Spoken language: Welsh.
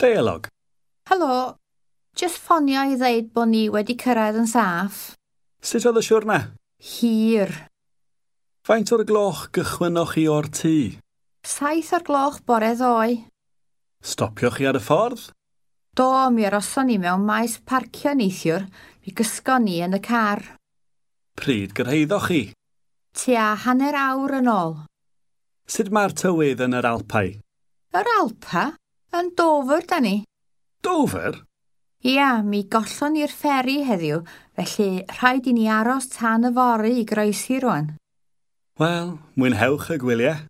Deialog. Helo, jyst ffonio i ddeud bod ni wedi cyrraedd yn saff. Sut oedd y siwrne? Hir. Faint o'r gloch gychwynnoch chi o'r tŷ? 7 o'r gloch bore ddoe. Stopioch chi ar y ffordd? Do, mi aroson ni mewn maes parcio neithiwr, mi gysgon ni yn y car. Pryd gyrhaeddoch chi? Tua hanner awr yn ôl. Sut mae'r tywydd yn yr Alpau? Yr Alpa? Yn Dover, da ni. Dover? Ia, mi gollon ni'r fferi heddiw, felly rhaid i ni aros tan yfory i groesi rwan. Wel, mwynhewch y gwyliau.